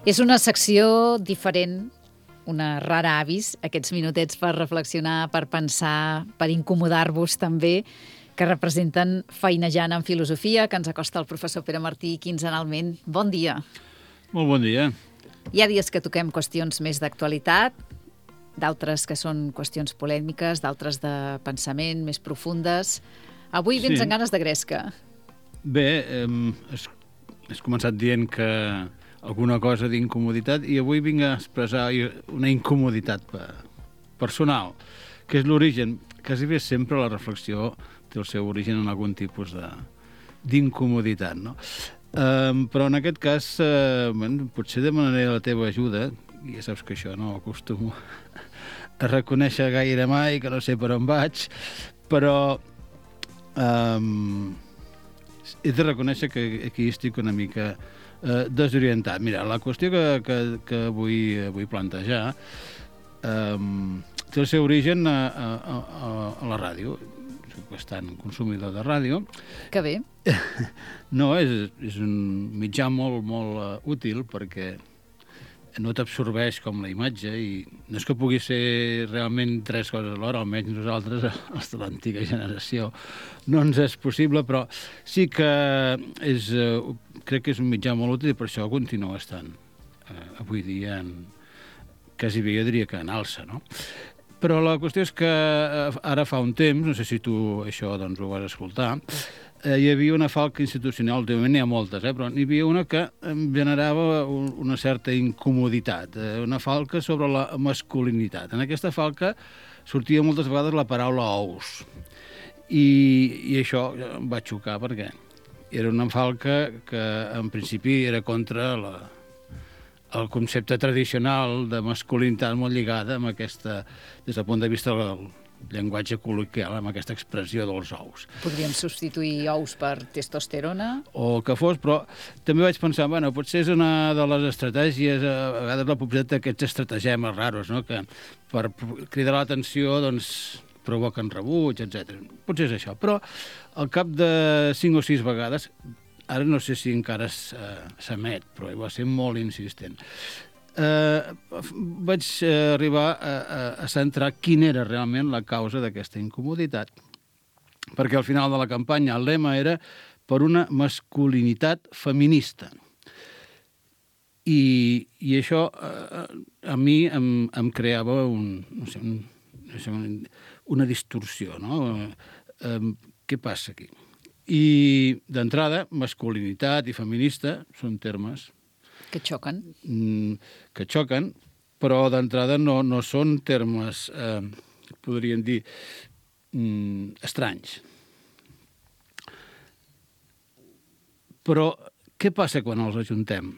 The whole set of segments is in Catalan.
És una secció diferent, una rara avis, aquests minutets per reflexionar, per pensar, per incomodar-vos també, que representen Feinejant en Filosofia, que ens acosta el professor Pere Martí quinzenalment. Bon dia. Molt bon dia. Hi ha dies que toquem qüestions més d'actualitat, d'altres que són qüestions polèmiques, d'altres de pensament, més profundes. Avui vens amb ganes de gresca. Bé, has començat dient que alguna cosa d'incomoditat i avui vinc a expressar una incomoditat personal, que és l'origen. Quasi bé sempre la reflexió té el seu origen en algun tipus d'incomoditat, no? Però en aquest cas, potser demanaré la teva ajuda, i ja saps que això no acostumo a reconèixer gaire mai, que no sé per on vaig, però he de reconèixer que aquí estic una mica desorientat. Mira, la qüestió que vull plantejar té el seu origen a la ràdio. Soc bastant consumidor de ràdio. Que bé. No, és un mitjà molt útil perquè no t'absorbeix com la imatge i no és que pugui ser realment tres coses alhora, almenys nosaltres, els de l'antiga generació, no ens és possible, però sí que crec que és un mitjà molt útil i per això continua estant avui dia quasi bé jo diria que en alça, no? Però la qüestió és que ara fa un temps, no sé si tu això doncs, ho vas escoltar, hi havia una falca institucional, últimament n'hi ha moltes, però n'hi havia una que em generava una certa incomoditat, una falca sobre la masculinitat. En aquesta falca sortia moltes vegades la paraula ous. I això em va xocar perquè era una falca que en principi era contra el concepte tradicional de masculinitat molt lligada amb aquesta, des del punt de vista del llenguatge col·loquial, amb aquesta expressió dels ous. Podríem substituir ous per testosterona? O el que fos, però també vaig pensar, bueno, potser és una de les estratègies, a vegades la publicitat d'aquests estratagemes raros, no?, que per cridar l'atenció, doncs, provoquen rebuig, etc. Potser és això, però al cap de 5 o 6 vegades, ara no sé si encara s'emet, però va ser molt insistent, vaig arribar a centrar quina era realment la causa d'aquesta incomoditat. Perquè al final de la campanya el lema era per una masculinitat feminista. I això a mi em creava una distorsió, no? Què passa aquí? I d'entrada, masculinitat i feminista són termes que xoquen. Que xoquen, però d'entrada no són termes, podríem dir, estranys. Però què passa quan els ajuntem?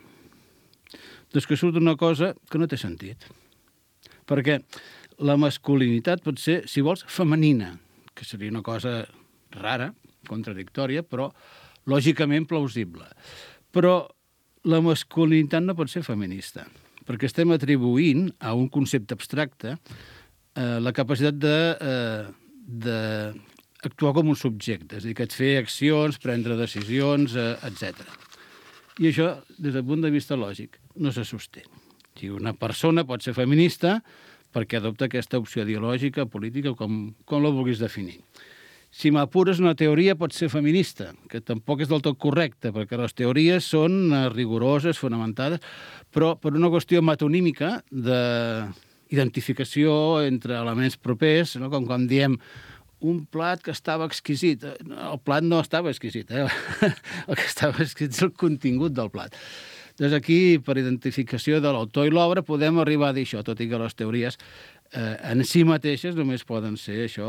Doncs que surt una cosa que no té sentit. Perquè la masculinitat pot ser, si vols, femenina, que seria una cosa rara, contradictòria, però lògicament plausible. Però la masculinitat no pot ser feminista, perquè estem atribuint a un concepte abstracte la capacitat d'actuar com un subjecte, és a dir, que et fer accions, prendre decisions, etc. I això, des del punt de vista lògic, no se sosté. O sigui, una persona pot ser feminista perquè adopta aquesta opció ideològica, política, com la vulguis definir. Si m'apures, una teoria pot ser feminista, que tampoc és del tot correcte, perquè les teories són rigoroses, fonamentades, però per una qüestió metonímica d'identificació entre elements propers, no? Com diem, un plat que estava exquisit. El plat no estava exquisit, el que estava exquisit és el contingut del plat. Doncs aquí, per identificació de l'autor i l'obra, podem arribar a dir això, tot i que les teories en si mateixes només poden ser això,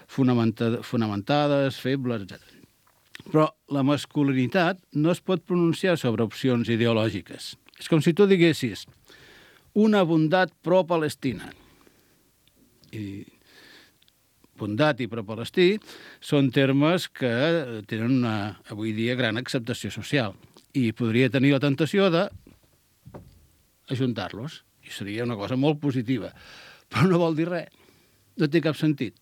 fonamentades, febles, etc. Però la masculinitat no es pot pronunciar sobre opcions ideològiques. És com si tu diguessis una bondat pro-Palestina. I bondat i pro-palestí són termes que tenen avui dia gran acceptació social i podria tenir la tentació d'ajuntar-los. I seria una cosa molt positiva. Però no vol dir res. No té cap sentit.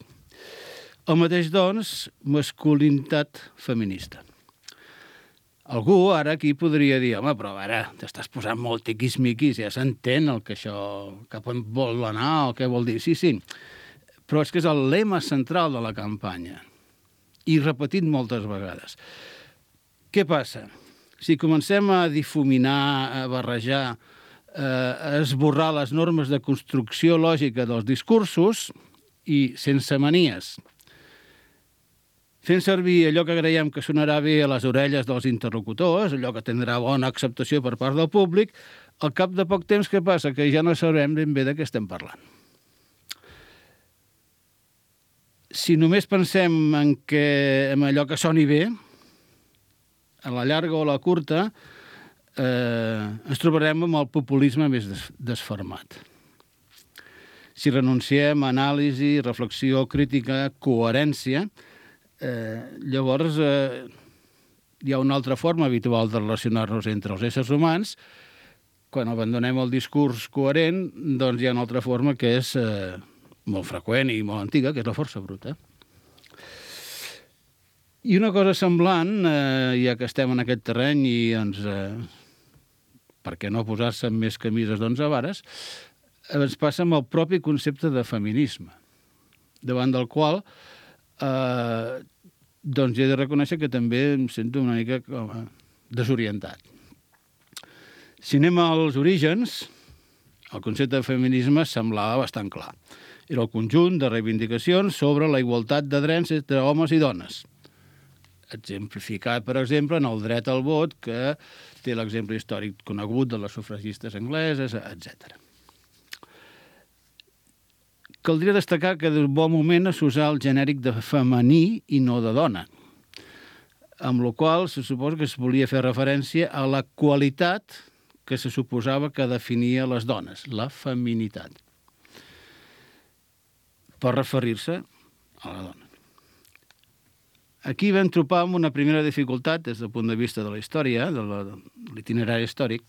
El mateix, doncs, masculinitat feminista. Algú ara aquí podria dir, home, però ara t'estàs posant molt tiquis-miquis, ja s'entén el que això, cap on vol anar o què vol dir. Sí, sí, però és que és el lema central de la campanya i repetit moltes vegades. Què passa? Si comencem a difuminar, a barrejar, a esborrar les normes de construcció lògica dels discursos i sense manies, fent servir allò que creiem que sonarà bé a les orelles dels interlocutors, allò que tindrà bona acceptació per part del públic, al cap de poc temps què passa? Que ja no sabrem ben bé de què estem parlant. Si només pensem en allò que soni bé, a la llarga o a la curta, ens trobarem amb el populisme més desfermat. Si renunciem a anàlisi, reflexió, crítica, coherència, llavors hi ha una altra forma habitual de relacionar-nos entre els éssers humans. Quan abandonem el discurs coherent, doncs hi ha una altra forma que és molt freqüent i molt antiga, que és la força bruta. I una cosa semblant, ja que estem en aquest terreny i per què no posar-se en més camises d'11 vares, ens passa amb el propi concepte de feminisme, davant del qual doncs he de reconèixer que també em sento una mica desorientat. Si anem als orígens, el concepte de feminisme semblava bastant clar. Era el conjunt de reivindicacions sobre la igualtat de drets entre homes i dones. Exemplificat, per exemple, en el dret al vot, que té l'exemple històric conegut de les sufragistes angleses, etc. Caldria destacar que d'un bon moment s'usà el genèric de femení i no de dona, amb la qual se suposa que es volia fer referència a la qualitat que se suposava que definia les dones, la feminitat, per referir-se a la dona. Aquí vam tropar amb una primera dificultat des del punt de vista de la història, de l'itinerari històric,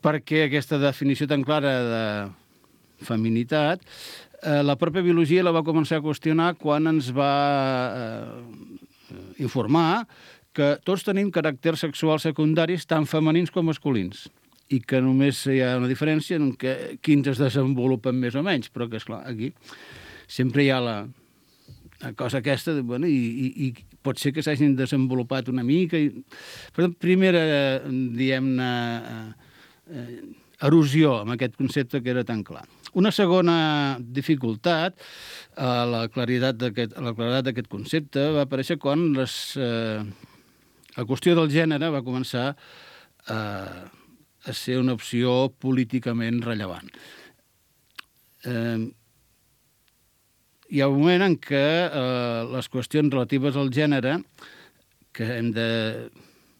perquè aquesta definició tan clara de feminitat, la pròpia biologia la va començar a qüestionar quan ens va informar que tots tenim caràcters sexuals secundaris tant femenins com masculins i que només hi ha una diferència en quins es desenvolupen més o menys, però que, esclar, aquí sempre hi ha la cosa aquesta, i pot ser que s'hagin desenvolupat una mica. Per tant, primera, diguem-ne, erosió amb aquest concepte que era tan clar. Una segona dificultat a la claredat d'aquest concepte va aparèixer quan la qüestió del gènere va començar a ser una opció políticament rellevant. Hi ha un moment en què les qüestions relatives al gènere, que hem de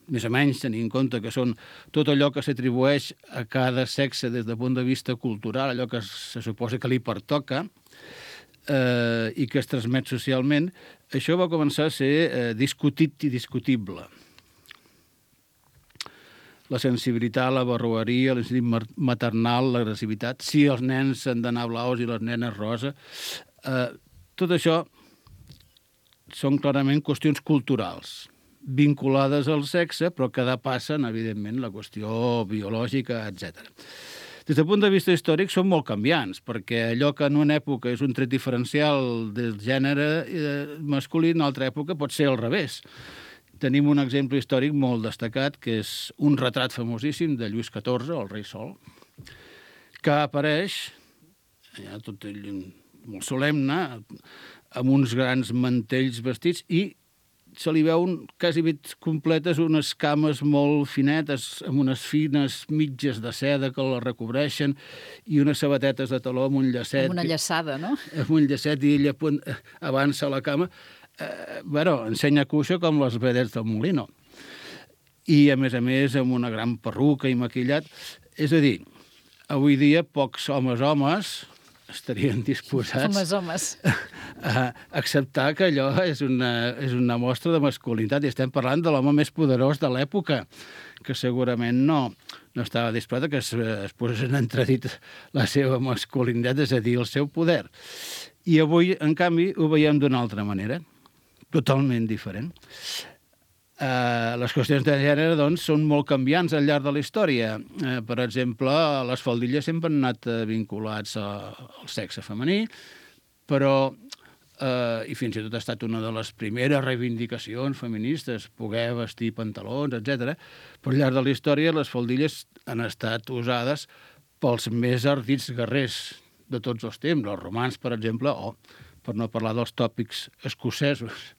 més o menys tenir en compte que són tot allò que s'atribueix a cada sexe des del punt de vista cultural, allò que se suposa que li pertoca i que es transmet socialment, això va començar a ser discutit i discutible. La sensibilitat, la barroeria, l'instinct maternal, l'agressivitat, si els nens han d'anar blaus i les nenes rosa, tot això són clarament qüestions culturals, vinculades al sexe, però que depassen, evidentment, la qüestió biològica, etc. Des del punt de vista històric són molt canviants, perquè allò que en una època és un tret diferencial del gènere masculí, en una altra època pot ser al revés. Tenim un exemple històric molt destacat, que és un retrat famosíssim de Lluís XIV, el rei Sol, que apareix, ja tot molt solemne, amb uns grans mantells vestits i se li veuen quasi completes unes cames molt finetes amb unes fines mitges de seda que la recobreixen i unes sabatetes de taló amb un llacet. Amb una llaçada, no? Amb un llacet i ella avança a la cama. Ensenya cuixa com les vedets del Molino. I, a més, amb una gran perruca i maquillat. És a dir, avui dia pocs homes estarien disposats a acceptar que allò és una mostra de masculinitat. I estem parlant de l'home més poderós de l'època, que segurament no estava disposat a que es posés en entredit la seva masculinitat, és a dir, el seu poder. I avui, en canvi, ho veiem d'una altra manera, totalment diferent. Les qüestions de gènere, doncs, són molt canviants al llarg de la història. Per exemple, les faldilles sempre han anat vinculats al sexe femení, però, i fins i tot ha estat una de les primeres reivindicacions feministes, poder vestir pantalons, etc. Però al llarg de la història les faldilles han estat usades pels més ardits guerrers de tots els temps, els romans, per exemple, o per no parlar dels tòpics escocesos.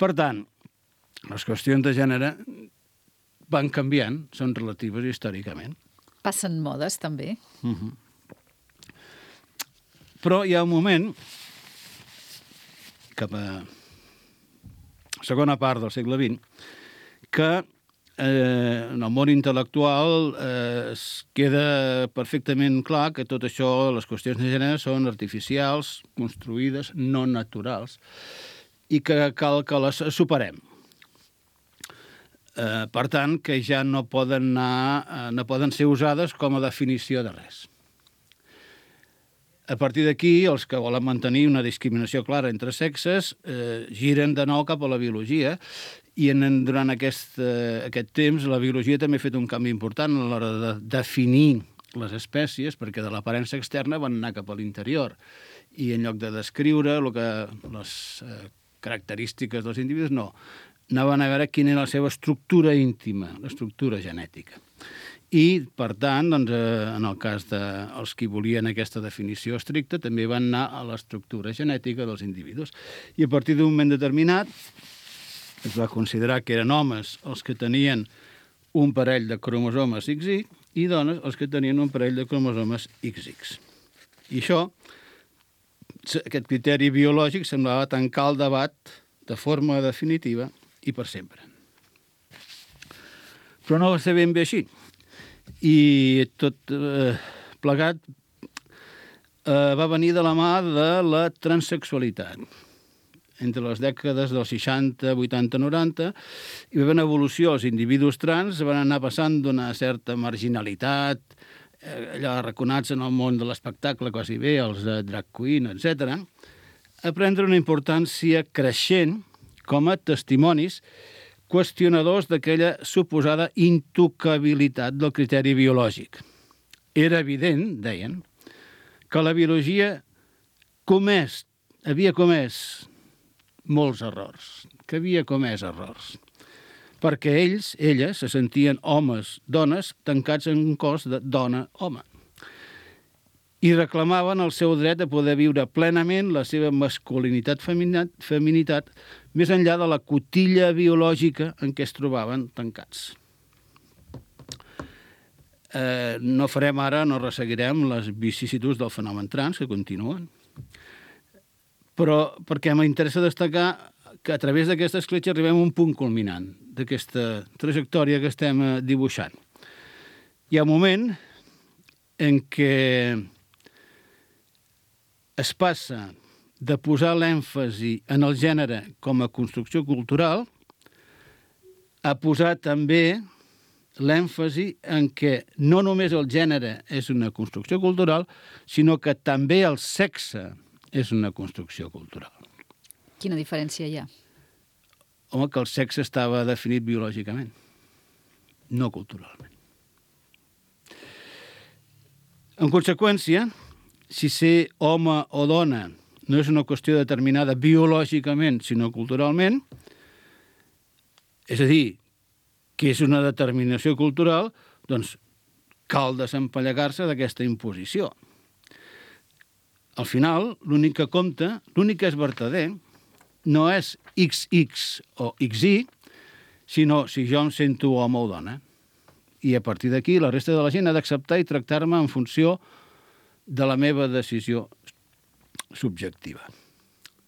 Per tant, les qüestions de gènere van canviant, són relatives històricament. Passen modes, també. Però hi ha un moment, cap a segona part del segle XX, que en el món intel·lectual es queda perfectament clar que tot això, les qüestions de gènere, són artificials, construïdes, no naturals, i que cal que les superem. Per tant, que ja no poden ser usades com a definició de res. A partir d'aquí, els que volen mantenir una discriminació clara entre sexes giren de nou cap a la biologia i durant aquest temps la biologia també ha fet un canvi important a l'hora de definir les espècies, perquè de l'aparença externa van anar cap a l'interior i en lloc de descriure les característiques dels individus, no. Anaven a veure quina era la seva estructura íntima, l'estructura genètica. I, per tant, doncs, en el cas dels que volien aquesta definició estricta, també van anar a l'estructura genètica dels individus. I a partir d'un moment determinat es va considerar que eren homes els que tenien un parell de cromosomes XY i dones els que tenien un parell de cromosomes XX. I això, aquest criteri biològic, semblava tancar el debat de forma definitiva i per sempre. Però no va ser ben bé així. I tot plegat va venir de la mà de la transsexualitat. Entre les dècades dels 60, 80, 90, hi va haver una evolució. Els individus trans van anar passant d'una certa marginalitat, allà arraconats en el món de l'espectacle quasi bé, els drag queen, etc., a prendre una importància creixent com a testimonis qüestionadors d'aquella suposada intocabilitat del criteri biològic. Era evident, deien, que la biologia havia comès molts errors, que havia comès errors, perquè elles se sentien homes, dones, tancats en un cos de dona-home. I reclamaven el seu dret a poder viure plenament la seva masculinitat, feminitat, més enllà de la cotilla biològica en què es trobaven tancats. No farem ara, no resseguirem les vicissituds del fenomen trans, que continuen, però perquè m'interessa destacar que a través d'aquesta escletxa arribem a un punt culminant d'aquesta trajectòria que estem dibuixant. Hi ha un moment en què es passa de posar l'èmfasi en el gènere com a construcció cultural a posar també l'èmfasi en què no només el gènere és una construcció cultural, sinó que també el sexe és una construcció cultural. Quina diferència hi ha? Home, que el sexe estava definit biològicament, no culturalment. En conseqüència, si ser home o dona no és una qüestió determinada biològicament, sinó culturalment, és a dir, que és una determinació cultural, doncs cal desempallegar-se d'aquesta imposició. Al final, l'únic que compta, l'únic que és vertader, no és XX o XY, sinó si jo em sento home o dona. I a partir d'aquí, la resta de la gent ha d'acceptar i tractar-me en funció de la meva decisió subjectiva.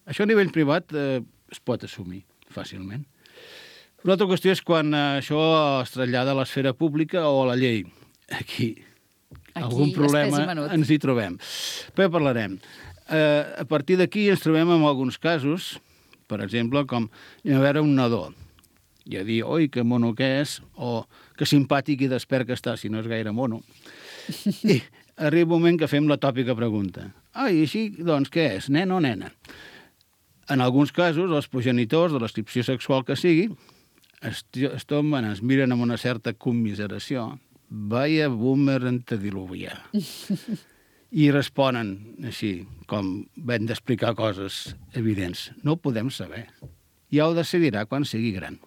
Això a nivell privat es pot assumir fàcilment. Una altra qüestió és quan això es trasllada a l'esfera pública o a la llei. Aquí algun problema ens hi trobem. Però ja parlarem. A partir d'aquí ens trobem amb alguns casos, per exemple, com a veure un nadó i a dir, oi, que mono que és, o que simpàtic i despert que està, si no és gaire mono. I arriba un moment que fem la tòpica pregunta. I així, doncs, què és, nen o nena? En alguns casos, els progenitors de l'escripció sexual que sigui es tomben, es miren amb una certa commiseració, vaya boomer antediluvià. I responen així, com vam d'explicar coses evidents. No ho podem saber. Ja ho decidirà quan sigui gran.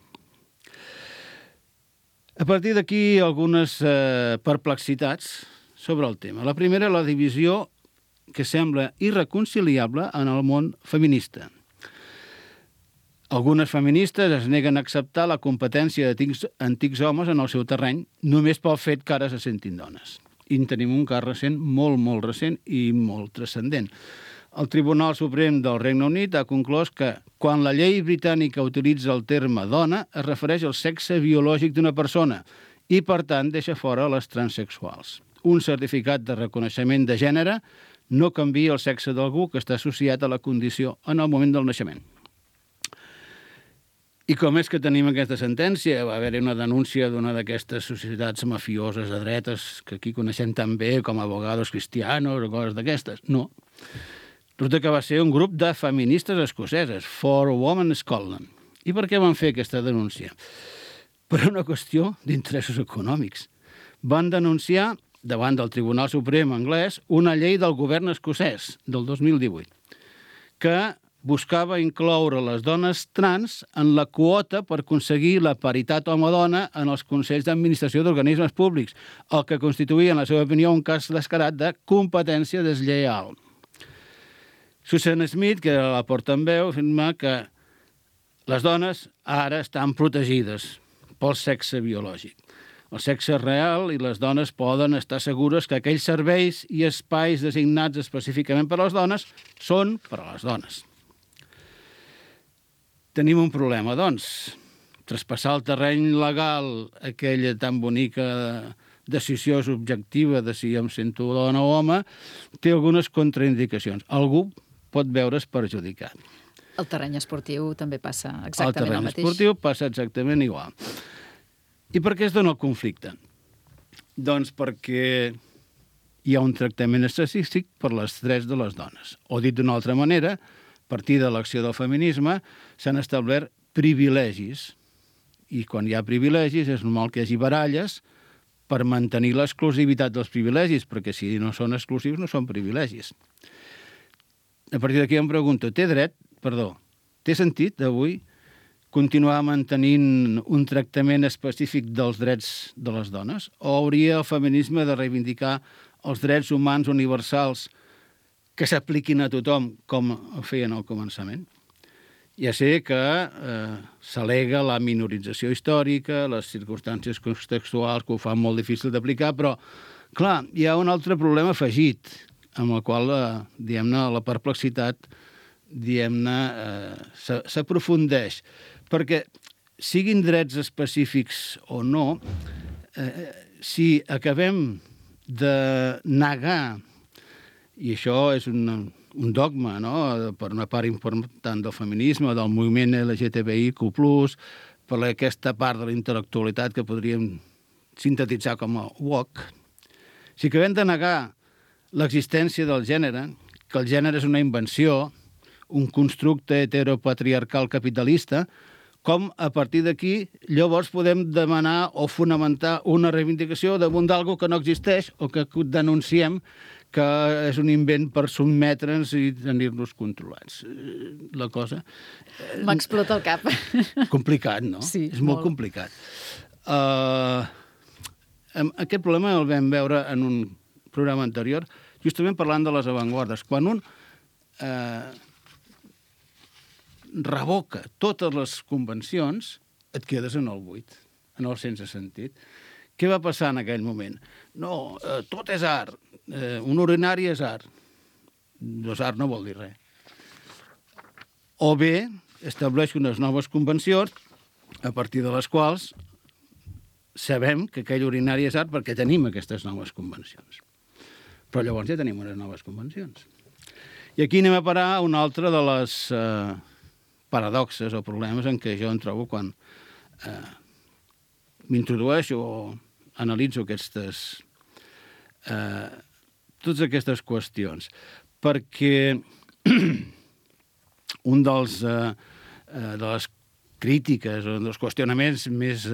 A partir d'aquí, algunes perplexitats sobre el tema. La primera, la divisió que sembla irreconciliable en el món feminista. Algunes feministes es neguen a acceptar la competència d'antics homes en el seu terreny només pel fet que ara se sentin dones. I en tenim un cas recent, molt, molt recent i molt transcendent. El Tribunal Suprem del Regne Unit ha conclòs que quan la llei britànica utilitza el terme dona es refereix al sexe biològic d'una persona i, per tant, deixa fora les transsexuals. Un certificat de reconeixement de gènere no canvia el sexe d'algú que està associat a la condició en el moment del naixement. I com és que tenim aquesta sentència? Va haver-hi una denúncia d'una d'aquestes societats mafioses de dretes que aquí coneixem tan bé com abogados cristianos o coses d'aquestes. No. Resulta que va ser un grup de feministes escoceses, For Women Scotland. I per què van fer aquesta denúncia? Per una qüestió d'interessos econòmics. Van denunciar davant del Tribunal Suprem anglès una llei del govern escocès del 2018 que buscava incloure les dones trans en la quota per aconseguir la paritat home-dona en els consells d'administració d'organismes públics, el que constituïa, en la seva opinió, un cas descarat de competència deslleial. Susan Smith, que era la portaveu, afirma que les dones ara estan protegides pel sexe biològic. El sexe real i les dones poden estar segures que aquells serveis i espais designats específicament per a les dones són per a les dones. Tenim un problema, doncs. Traspassar el terreny legal, aquella tan bonica decisió subjectiva de si em sento dona o home, té algunes contraindicacions. Algú pot veure's perjudicat. El terreny esportiu també passa exactament el mateix. El terreny esportiu passa exactament igual. I per què es dona el conflicte? Doncs perquè hi ha un tractament específic per les drets de les dones. O dit d'una altra manera, a partir de l'acció del feminisme, s'han establert privilegis. I quan hi ha privilegis és normal que hi hagi baralles per mantenir l'exclusivitat dels privilegis, perquè si no són exclusius no són privilegis. A partir d'aquí em pregunto, té sentit avui continuar mantenint un tractament específic dels drets de les dones? O hauria el feminisme de reivindicar els drets humans universals que s'apliquin a tothom, com ho feien al començament? Ja sé que s'al·lega la minorització històrica, les circumstàncies contextuals que ho fan molt difícil d'aplicar, però, clar, hi ha un altre problema afegit, amb el qual, diguem-ne, la perplexitat, diguem-ne, s'aprofundeix. Perquè, siguin drets específics o no, si acabem de negar, i això és un dogma, no?, per una part important del feminisme, del moviment LGTBIQ+, per aquesta part de la intel·lectualitat que podríem sintetitzar com a woke, si acabem de negar l'existència del gènere, que el gènere és una invenció, un constructe heteropatriarcal capitalista, com a partir d'aquí llavors podem demanar o fonamentar una reivindicació damunt d'algo que no existeix o que denunciem que és un invent per sotmetre'ns i tenir-nos controlats. La cosa... M'explota el cap. Complicat, no? Sí, és molt complicat. Aquest problema el vam veure en un programa anterior, justament parlant de les avantguardes. Quan un revoca totes les convencions, et quedes en el buit, en el sense sentit. Què va passar en aquell moment? No, tot és art. Un urinari és art. Doncs art no vol dir res. O bé, estableix unes noves convencions a partir de les quals sabem que aquell urinari és art perquè tenim aquestes noves convencions. Però llavors ja tenim unes noves convencions. I aquí anem a parar una altra de les paradoxes o problemes en què jo em trobo quan m'introdueixo o analitzo totes aquestes qüestions. Perquè un de les crítiques o dels qüestionaments més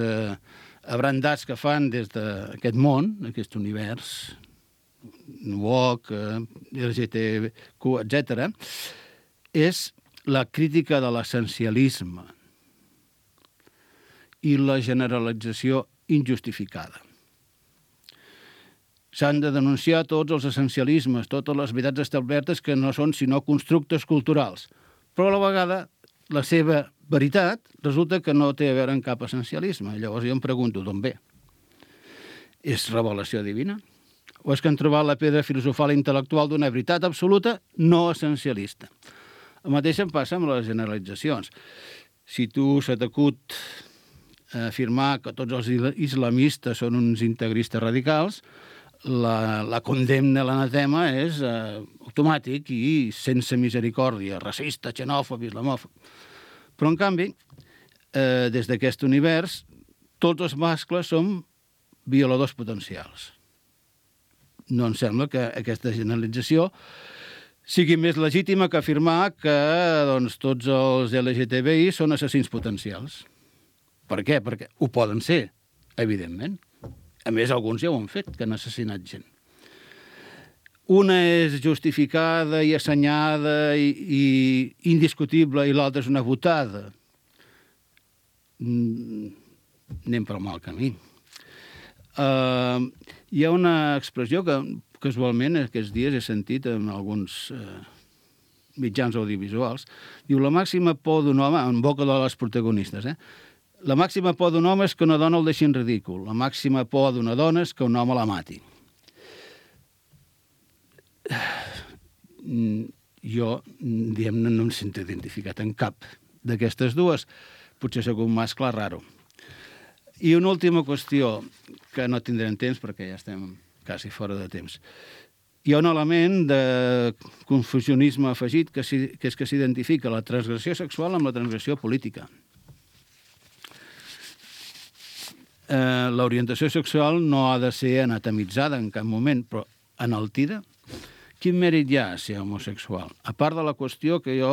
abrandats que fan des d'aquest món, aquest univers, woke, LGTB, etc., és la crítica de l'essencialisme i la generalització injustificada. S'han de denunciar tots els essencialismes, totes les veritats establertes que no són sinó constructes culturals, però a la vegada la seva veritat resulta que no té a veure amb cap essencialisme. Llavors jo em pregunto d'on ve. És revelació divina? O és que han trobat la pedra filosofal i intel·lectual d'una veritat absoluta no essencialista? El mateix em passa amb les generalitzacions. Si tu se t'acut afirmar que tots els islamistes són uns integristes radicals, la condemna, l'anatema és automàtic i sense misericòrdia, racista, xenòfob, islamòfob. Però, en canvi, des d'aquest univers, tots els mascles som violadors potencials. No em sembla que aquesta generalització sigui més legítima que afirmar que tots els LGTBI són assassins potencials. Per què? Perquè ho poden ser, evidentment. A més, alguns ja ho han fet, que han assassinat gent. Una és justificada i assenyada i indiscutible i l'altra és una votada. Anem pel mal camí. Hi ha una expressió que casualment aquests dies he sentit en alguns mitjans audiovisuals. Diu, la màxima por d'un home, en boca de les protagonistes, la màxima por d'un home és que una dona el deixi en ridícul. La màxima por d'una dona és que un home la mati. Jo, diguem-ne, no em sento identificat en cap d'aquestes dues. Potser sóc un mascle raro. I una última qüestió, que no tindrem temps perquè ja estem quasi fora de temps. Hi ha un element de confusionisme afegit, que és que s'identifica la transgressió sexual amb la transgressió política. L'orientació sexual no ha de ser anatomitzada en cap moment, però enaltida. Quin mèrit hi ha a ser homosexual? A part de la qüestió que jo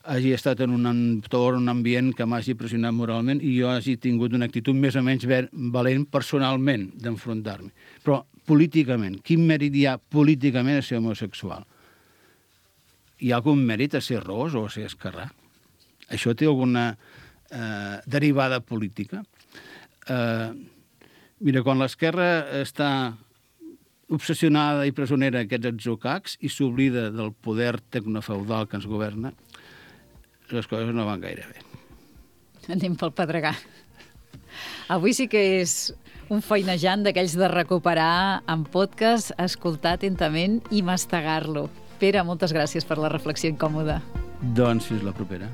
hagi estat en un entorn, un ambient que m'hagi pressionat moralment i jo hagi tingut una actitud més o menys valent personalment d'enfrontar-me. Però políticament, quin mèrit hi ha políticament a ser homosexual? Hi ha algun mèrit a ser ros o a ser esquerrà? Això té alguna derivada política? Mira, quan l'esquerra està obsessionada i presonera aquests atzucacs i s'oblida del poder tecnofeudal que ens governa, les coses no van gaire bé. Anem pel pedregar. Avui sí que és un feinejant d'aquells de recuperar en podcast, escoltar atentament i mastegar-lo. Pere, moltes gràcies per la reflexió incòmoda. Doncs fins la propera.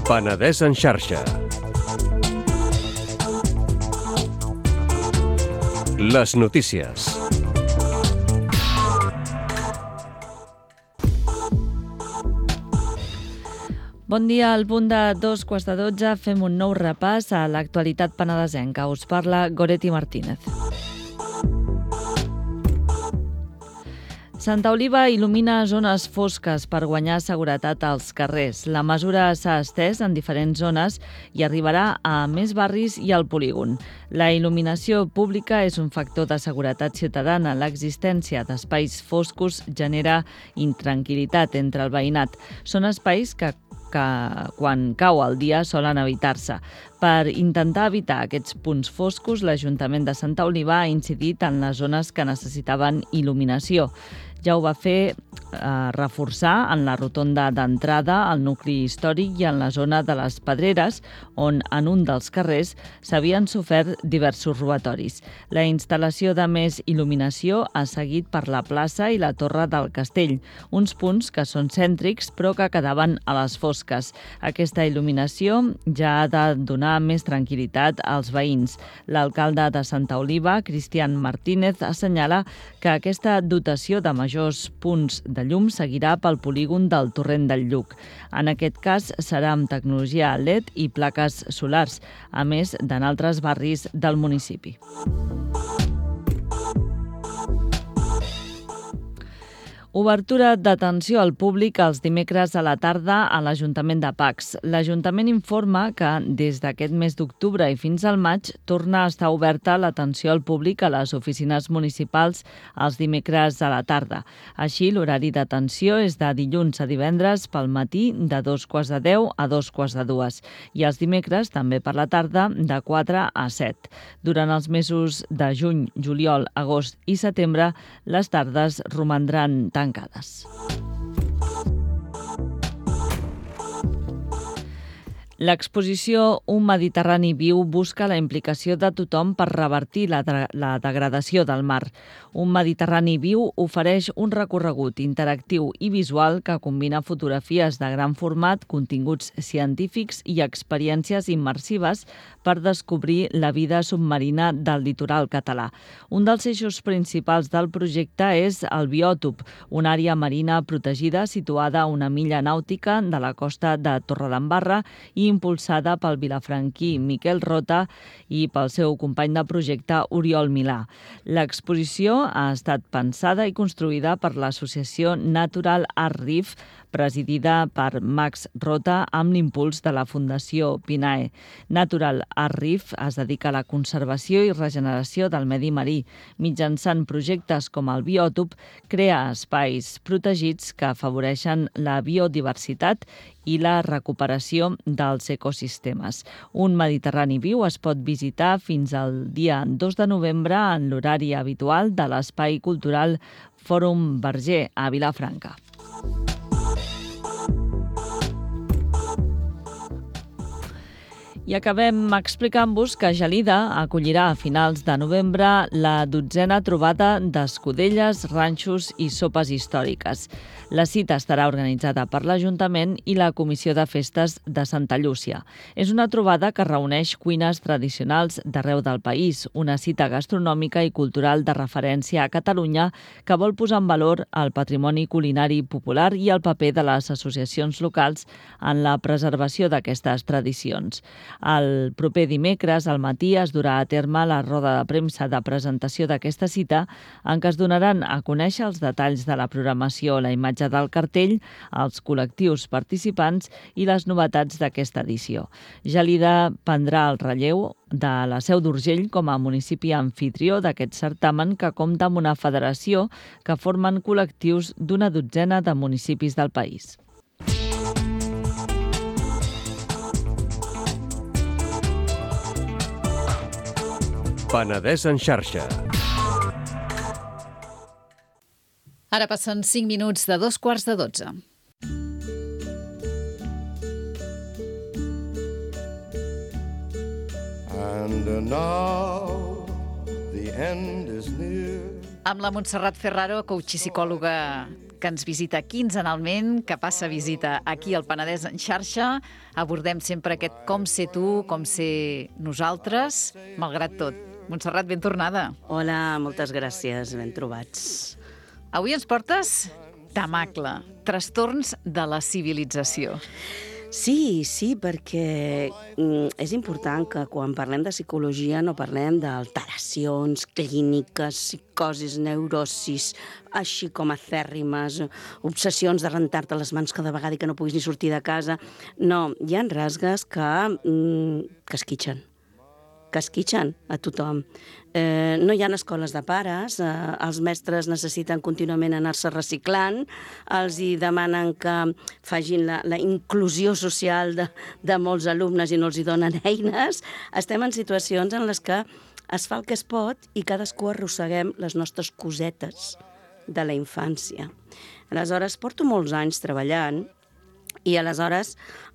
Penedès en xarxa. Les notícies. Bon dia, al punt de 2:15 fem un nou repàs a l'actualitat penedesenca. Us parla Goretti Martínez. Santa Oliva il·lumina zones fosques per guanyar seguretat als carrers. La mesura s'ha estès en diferents zones i arribarà a més barris i al polígon. La il·luminació pública és un factor de seguretat ciutadana. L'existència d'espais foscos genera intranquil·litat entre el veïnat. Són espais que que quan cau el dia solen evitar-se. Per intentar evitar aquests punts foscos, l'Ajuntament de Santa Oliva ha incidit en les zones que necessitaven il·luminació. Ja ho va fer reforçar en la rotonda d'entrada, al nucli històric i en la zona de les Pedreres, on en un dels carrers s'havien sofert diversos robatoris. La instal·lació de més il·luminació ha seguit per la plaça i la Torre del Castell, uns punts que són cèntrics però que quedaven a les fosques. Aquesta il·luminació ja ha de donar més tranquil·litat als veïns. L'alcalde de Santa Oliva, Cristian Martínez, assenyala que aquesta dotació de majors punts de llum seguirà pel polígon del Torrent del Lluc. En aquest cas serà amb tecnologia LED i plaques solars, a més d'en altres barris del municipi. Obertura d'atenció al públic els dimecres a la tarda a l'Ajuntament de Pacs. L'Ajuntament informa que des d'aquest mes d'octubre i fins al maig torna a estar oberta l'atenció al públic a les oficines municipals els dimecres a la tarda. Així, l'horari d'atenció és de dilluns a divendres pel matí de 2:15 a 2:45 i els dimecres també per la tarda de 4 a 7. Durant els mesos de juny, juliol, agost i setembre, les tardes romandran tancades. L'exposició Un Mediterrani viu busca la implicació de tothom per revertir la degradació del mar. Un Mediterrani viu ofereix un recorregut interactiu i visual que combina fotografies de gran format, continguts científics i experiències immersives per descobrir la vida submarina del litoral català. Un dels eixos principals del projecte és el biòtop, una àrea marina protegida situada a una milla nàutica de la costa de Torredembarra i impulsada pel vilafranquí Miquel Rota i pel seu company de projecte Oriol Milà. L'exposició ha estat pensada i construïda per l'associació Natural Art Reef, presidida per Max Rota amb l'impuls de la Fundació Pinae. Natural Art Reef es dedica a la conservació i regeneració del medi marí. Mitjançant projectes com el biòtop, crea espais protegits que afavoreixen la biodiversitat i la recuperació dels ecosistemes. Un Mediterrani viu es pot visitar fins al dia 2 de novembre en l'horari habitual de l'Espai Cultural Fòrum Verger a Vilafranca. I acabem explicant-vos que Gelida acollirà a finals de novembre la 12a trobada d'escudelles, ranxos i sopes històriques. La cita estarà organitzada per l'Ajuntament i la Comissió de Festes de Santa Llúcia. És una trobada que reuneix cuines tradicionals d'arreu del país, una cita gastronòmica i cultural de referència a Catalunya que vol posar en valor el patrimoni culinari popular i el paper de les associacions locals en la preservació d'aquestes tradicions. El proper dimecres al matí es durà a terme la roda de premsa de presentació d'aquesta cita en què es donaran a conèixer els detalls de la programació, la imatge del cartell, els col·lectius participants i les novetats d'aquesta edició. Gelida prendrà el relleu de la Seu d'Urgell com a municipi anfitrió d'aquest certamen que compta amb una federació que formen col·lectius d'una 12a de municipis del país. Penedès en xarxa. Ara passen 5 minuts de 2:15. And now the end is near. Amb la Montserrat Ferraro, coach i psicòloga que ens visita quinzenalment, que passa visita aquí al Penedès en xarxa, abordem sempre aquest com ser tu, com ser nosaltres, malgrat tot. Montserrat, ben tornada. Hola, moltes gràcies, ben trobats. Avui ens portes Tamacle, trastorns de la civilització. Sí, perquè és important que quan parlem de psicologia no parlem d'alteracions clíniques, psicosis, neurosis, així com acèrrimes, obsessions de rentar-te les mans cada vegada i que no puguis ni sortir de casa. No, hi ha rasgues que esquitxen, que esquitxen a tothom. No hi ha escoles de pares, els mestres necessiten contínuament anar-se reciclant, els hi demanen que facin la inclusió social de molts alumnes i no els hi donen eines. Estem en situacions en les que es fa el que es pot i cadascú arrosseguem les nostres cosetes de la infància. Aleshores, porto molts anys treballant i aleshores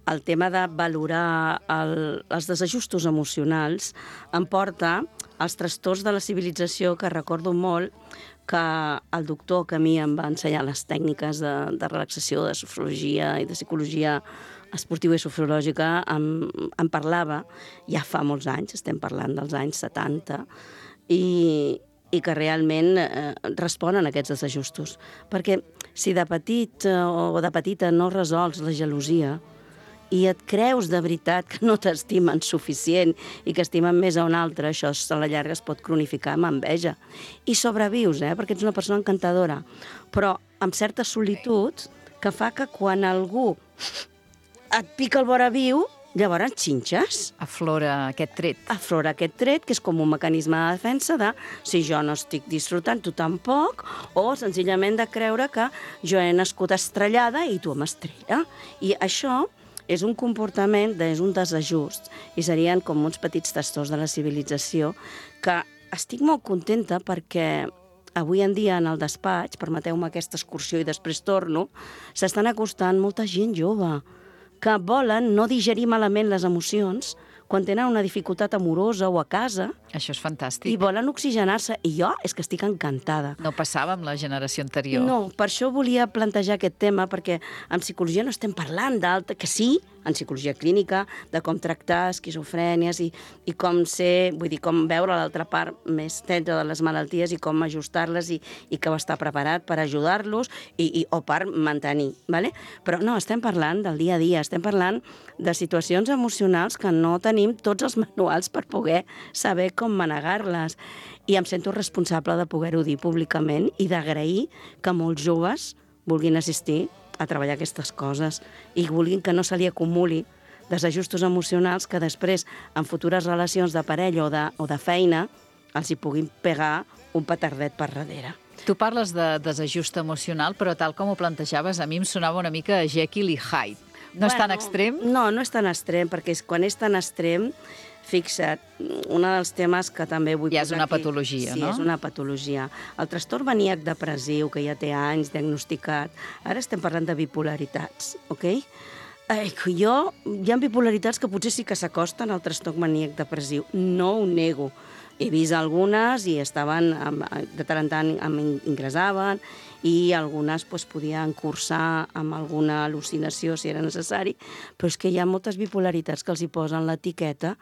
el tema de valorar els desajustos emocionals em porta als trastorns de la civilització, que recordo molt que el doctor que a mi em va ensenyar les tècniques de relaxació, de sofrologia i de psicologia esportiva i sofrològica em parlava, ja fa molts anys, estem parlant dels anys 70, i que realment responen a aquests desajustos. Perquè si de petit o de petita no resols la gelosia i et creus de veritat que no t'estimen suficient i que estimen més a un altre, això a la llarga es pot cronificar amb enveja. I sobrevius, perquè ets una persona encantadora, però amb certa solitud que fa que quan algú et pica el vora viu, llavors xinxes. Aflora aquest tret. Aflora aquest tret, que és com un mecanisme de defensa de si jo no estic disfrutant, tu tampoc, o senzillament de creure que jo he nascut estrellada i tu m'estrella. I això és un comportament, és un desajust, i serien com uns petits trastorns de la civilització que estic molt contenta perquè avui en dia en el despatx, permeteu-me aquesta excursió i després torno, s'estan acostant molta gent jove que volen no digerir malament les emocions quan tenen una dificultat amorosa o a casa. Això és fantàstic. I volen oxigenar-se. I jo és que estic encantada. No passava amb la generació anterior. No, per això volia plantejar aquest tema, perquè en psicologia no estem parlant d'alta, que sí, en psicologia clínica, de com tractar esquizofrènies i com ser, vull dir, com veure l'altra part més tendra de les malalties i com ajustar-les i que va estar preparat per ajudar-los o per mantenir, ¿vale? Però no, estem parlant del dia a dia, estem parlant de situacions emocionals que no tenim tots els manuals per poder saber com manegar-les. I em sento responsable de poder-ho dir públicament i d'agrair que molts joves vulguin assistir a treballar aquestes coses i vulguin que no se li acumuli desajustos emocionals que després, en futures relacions de parella o de feina, els hi puguin pegar un petardet per darrere. Tu parles de desajust emocional, però tal com ho plantejaves, a mi em sonava una mica Jekyll i Hyde. No és tan extrem? No, no és tan extrem, perquè quan és tan extrem, fixa't, un dels temes que també vull posar aquí... Ja és una patologia, no? Sí, és una patologia. El trastorn maníac depressiu, que ja té anys diagnosticat, ara estem parlant de bipolaritats, ok? Hi ha bipolaritats que potser sí que s'acosten al trastorn maníac depressiu, no ho nego. He vist algunes i estaven, de tant en tant ingressaven, i algunes podien cursar amb alguna al·lucinació si era necessari, però és que hi ha moltes bipolaritats que els hi posen l'etiqueta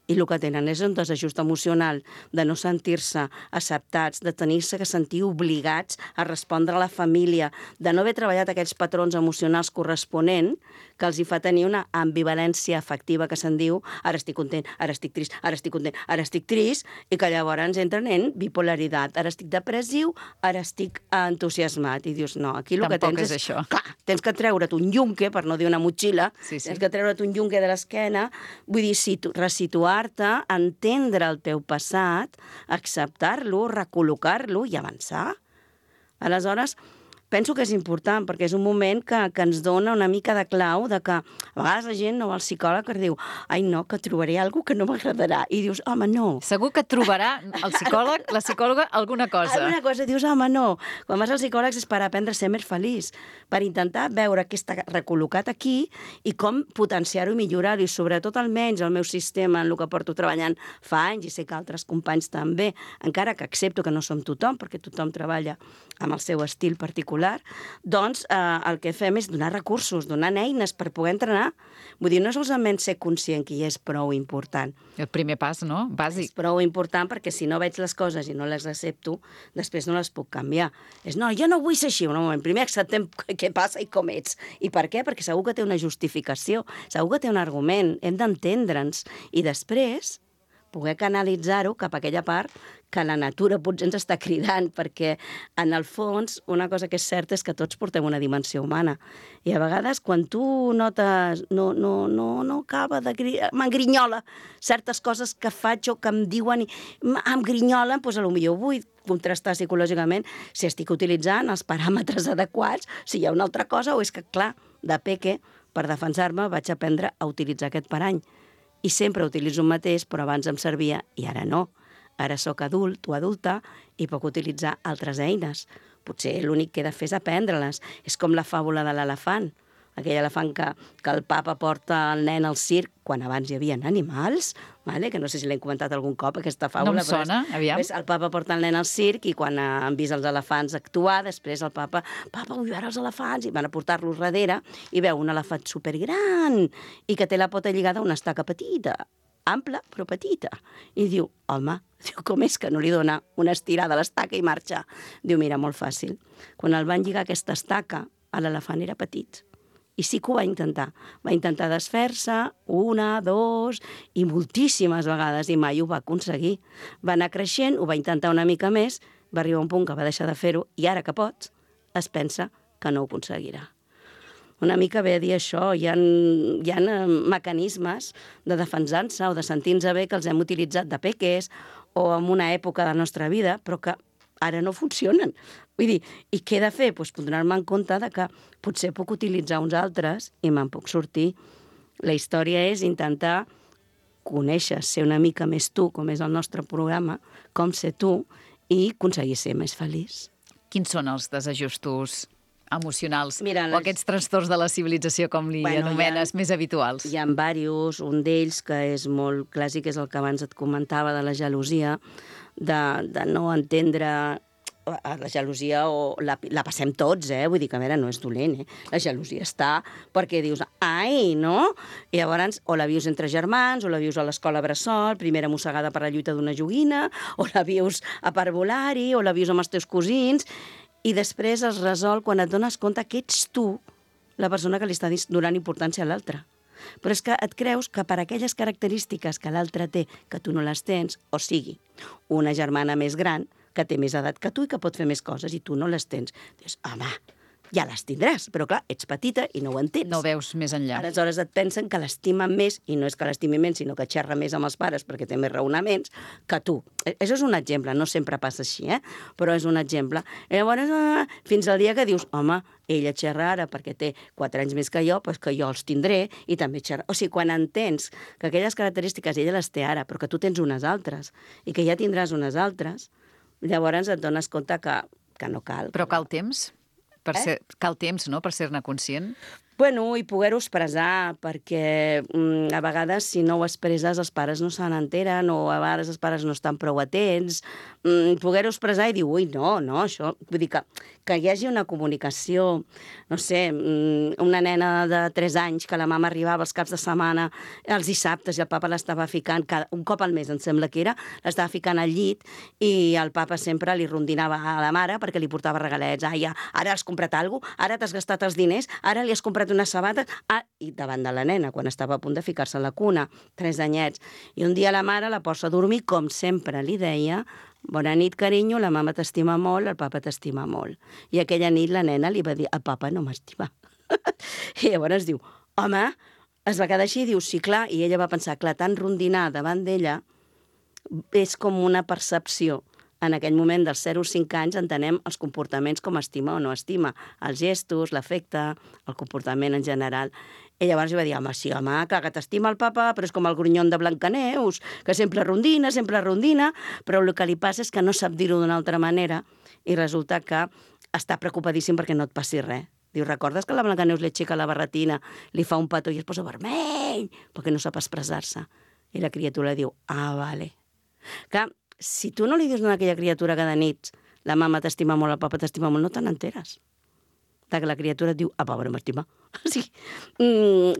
i el que tenen és un desajust emocional de no sentir-se acceptats, de tenir-se que sentir obligats a respondre a la família, de no haver treballat aquests patrons emocionals corresponents que els hi fa tenir una ambivalència afectiva que se'n diu ara estic content, ara estic trist, ara estic content, ara estic trist, i que llavors entren en bipolaritat. Ara estic depressiu, ara estic entusiasmat. I dius, no, aquí el que tens és... això. Clar, tens que treure't un yunque, per no dir una motxilla, tens que treure't un yunque de l'esquena, vull dir, resituar-te, entendre el teu passat, acceptar-lo, recol·locar-lo i avançar. Aleshores, penso que és important, perquè és un moment que ens dona una mica de clau de que a vegades la gent no va al psicòleg i diu ai no, que trobaré alguna que no m'agradarà. I dius, home, no. Segur que trobarà el psicòleg, la psicòloga, alguna cosa. Alguna cosa, dius, home, no. Quan vas als psicòlegs és per aprendre a ser més feliç, per intentar veure què està recol·locat aquí i com potenciar-ho i millorar-ho. I sobretot, almenys, el meu sistema, en el que porto treballant fa anys, i sé que altres companys també, encara que accepto que no som tothom, perquè tothom treballa amb el seu estil particular, doncs el que fem és donar recursos, donar eines per poder entrenar. Vull dir, no solament ser conscient que ja és prou important. El primer pas, no? Bàsic. És prou important perquè si no veig les coses i no les accepto, després no les puc canviar. És, no, jo no vull ser així. Un moment, primer acceptem què passa i com ets. I per què? Perquè segur que té una justificació, segur que té un argument, hem d'entendre'ns. I després poder canalitzar-ho cap a aquella part que la natura potser ens està cridant, perquè en el fons una cosa que és certa és que tots portem una dimensió humana. I a vegades quan tu notes no acaba de... m'engrinyola certes coses que faig o que em diuen i em grinyolen, doncs potser vull contrastar psicològicament si estic utilitzant els paràmetres adequats, si hi ha una altra cosa, o és que, clar, de peque, per defensar-me, vaig aprendre a utilitzar aquest parany. I sempre utilitzo el mateix, però abans em servia i ara no. Ara sóc adult o adulta i puc utilitzar altres eines. Potser l'únic que he de fer és aprendre-les. És com la fàbula de l'elefant. Aquell elefant que el papa porta el nen al circ, quan abans hi havia animals, que no sé si l'hem comentat algun cop, aquesta fàbula. No em sona, aviam. El papa porta el nen al circ i quan han vist els elefants actuar, després el papa vull veure els elefants, i van a portar-los darrere i veu un elefant supergran i que té la pota lligada a una estaca petita, ampla però petita. I diu, home, com és que no li dona una estirada a l'estaca i marxa? Diu, mira, molt fàcil. Quan el van lligar aquesta estaca, l'elefant era petit. I sí que ho va intentar. Va intentar desfer-se, 1, 2, i moltíssimes vegades, i mai ho va aconseguir. Va anar creixent, ho va intentar una mica més, va arribar a un punt que va deixar de fer-ho, i ara que pots, es pensa que no ho aconseguirà. Una mica ve a dir això, hi ha mecanismes de defensar-se o de sentir-nos bé que els hem utilitzat de peques o en una època de la nostra vida, però que ara no funcionen. Vull dir, i què he de fer? Doncs donar-me en compte que potser puc utilitzar uns altres i me'n puc sortir. La història és intentar conèixer, ser una mica més tu, com és el nostre programa, com ser tu, i aconseguir ser més feliç. Quins són els desajustos emocionals o Mira, aquests trastorns de la civilització, com li anomenes, més habituals? Hi ha diversos, un d'ells que és molt clàssic, és el que abans et comentava de la gelosia, de no entendre la gelosia, o la passem tots, vull dir que a veure, no és dolent, la gelosia està perquè dius, ai, no? I llavors, o la vius entre germans, o la vius a l'escola bressol, primera mossegada per la lluita d'una joguina, o la vius a parvulari, o la vius amb els teus cosins, i després es resol quan et dones compte que ets tu la persona que li està donant importància a l'altre. Però és que et creus que per aquelles característiques que l'altre té, que tu no les tens, o sigui, una germana més gran, que té més edat que tu i que pot fer més coses, i tu no les tens. Dius, home, ja les tindràs, però clar, ets petita i no ho entens. No veus més enllà. Aleshores et pensen que l'estimen més, i no és que l'estimi menys, sinó que xerra més amb els pares perquè té més raonaments que tu. Això és un exemple, no sempre passa així, però és un exemple. I llavors, fins al dia que dius, home, ella xerra ara perquè té 4 anys més que jo, doncs que jo els tindré i també xerra. O sigui, quan entens que aquelles característiques ella les té ara, però que tu tens unes altres i que ja tindràs unes altres, llavors et dones compte que no cal. Però cal temps? Cal temps, no?, per ser-ne conscient? Bueno, i poder-ho expressar, perquè a vegades si no ho expresses els pares no se n'enteren, o a vegades els pares no estan prou atents. Poder-ho expressar i dir, ui, no, això... Vull dir que hi hagi una comunicació, no sé, una nena de 3 anys que la mama arribava els caps de setmana, els dissabtes, i el papa l'estava ficant, un cop al mes, em sembla que era, l'estava ficant al llit, i el papa sempre li rondinava a la mare perquè li portava regalets. Ai, ara has comprat alguna cosa, ara t'has gastat els diners, ara li has comprat unes sabates, i davant de la nena, quan estava a punt de ficar-se a la cuna, 3 anyets. I un dia la mare la posa a dormir, com sempre li deia, bona nit, carinyo, la mama t'estima molt, el papa t'estima molt. I aquella nit la nena li va dir, el papa no m'estima. I llavors diu, home, es va quedar així i diu, sí, clar, i ella va pensar, clar, tan rondinar davant d'ella és com una percepció. En aquell moment dels 0 als 5 anys entenem els comportaments com estima o no estima, els gestos, l'afecte, el comportament en general. I llavors va dir, home, sí, home, que t'estima el papa, però és com el grunyon de Blancaneus, que sempre rondina, però el que li passa és que no sap dir-ho d'una altra manera i resulta que està preocupadíssim perquè no et passi res. Diu, recordes que la Blancaneus li aixeca la barretina, li fa un petó i es posa vermell perquè no sap expressar-se? I la criatura diu, vale. Clar, si tu no li dius a aquella criatura cada nit la mama t'estima molt, el papa t'estima molt, no te n'enteres. Que la criatura et diu, papa no m'estima. O sigui,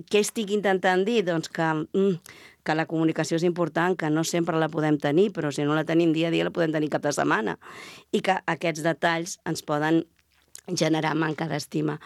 què estic intentant dir? Doncs que la comunicació és important, que no sempre la podem tenir, però si no la tenim dia a dia la podem tenir cap de setmana. I que aquests detalls ens poden generar manca d'estima.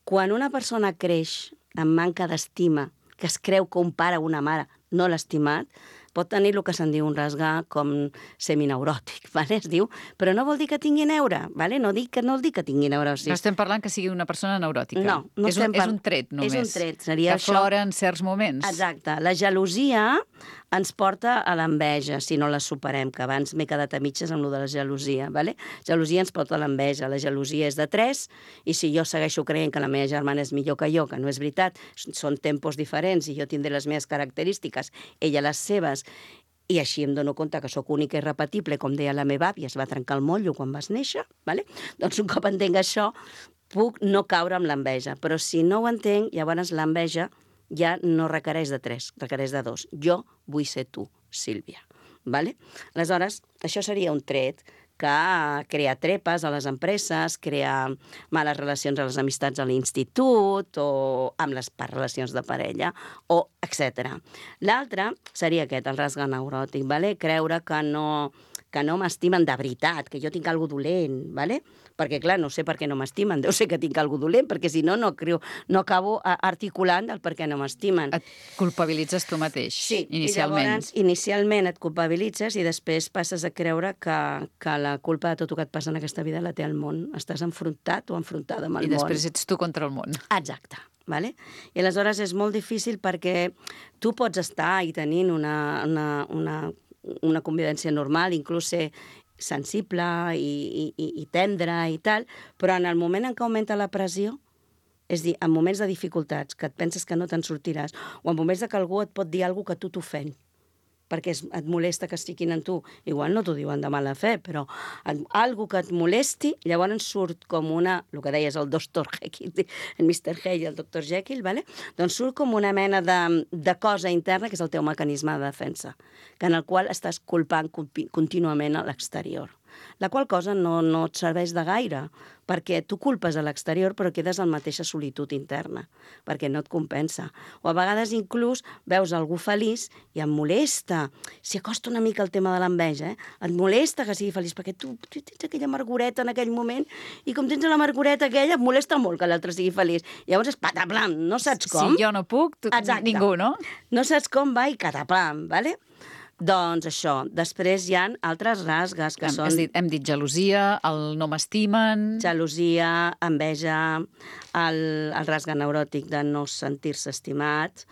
Quan una persona creix amb manca d'estima, que es creu que un pare o una mare no l'ha estimat, pot tenir el que se'n diu un rasgar com semineuròtic, vale? Es diu, però no vol dir que tingui neure, vale? No vol dir que tingui neurosi. No estem parlant que sigui una persona neuròtica. No, és un tret, només. És un tret, seria que aflora en certs moments. Exacte. La gelosia ens porta a l'enveja, si no la superem, que abans m'he quedat a mitges amb lo de la gelosia, vale? Gelosia ens porta a l'enveja. La gelosia és de 3, i si jo segueixo creient que la meva germana és millor que jo, que no és veritat, són tempos diferents i jo tindré les meves característiques, ella les seves, i així em dono compte que sóc única i repetible, com deia la meva àvia, es va trencar el motllo quan vas néixer, vale? Doncs un cop entenc això, puc no caure amb l'enveja. Però si no ho entenc, llavors l'enveja ja no requereix de 3, requereix de 2. Jo vull ser tu, Sílvia. Vale? Aleshores, això seria un tret que crea trepes a les empreses, crea males relacions a les amistats a l'institut o amb les relacions de parella, o etc. L'altre seria aquest, el rasgue neuròtic, vale? Creure que no m'estimen de veritat, que jo tinc alguna dolent, vale? Perquè, clar, no sé per què no m'estimen, deu ser que tinc alguna dolent, perquè si no, no acabo articulant el per què no m'estimen. Et culpabilitzes tu mateix, sí, inicialment. I llavors, inicialment et culpabilitzes i després passes a creure que la culpa de tot el que et passa en aquesta vida la té el món. Estàs enfrontat o enfrontada amb el món. I després ets tu contra el món. Exacte. Vale? I aleshores és molt difícil perquè tu pots estar i tenint una convivència normal, inclús ser sensible i tendre i tal, però en el moment en què augmenta la pressió, és a dir, en moments de dificultats, que et penses que no te'n sortiràs, o en moments que algú et pot dir alguna cosa que tu t'ofèn, perquè et molesta que estiguin en tu. Igual no t'ho diuen de mala fe, però algú que et molesti, llavors surt com el que deies, el Dr. Jekyll, el Mr. Hyde i el Dr. Jekyll, vale? Doncs surt com una mena de cosa interna, que és el teu mecanisme de defensa, en el qual estàs culpant contínuament a l'exterior. La qual cosa no et serveix de gaire, perquè tu culpes a l'exterior però quedes en mateixa solitud interna, perquè no et compensa. O a vegades inclús veus algú feliç i em molesta, s'hi acosta una mica el tema de l'enveja, et molesta que sigui feliç, perquè tu tens aquella amargureta en aquell moment i com tens l'amargureta aquella et molesta molt que l'altre sigui feliç. Llavors és pataplam, no saps com. Si jo no puc, ningú, no? No saps com va i cataplam, vale? Doncs això, després hi ha altres rasgues que són... Hem dit gelosia, el no m'estimen... Gelosia, enveja, el rasgue neuròtic de no sentir-se estimat.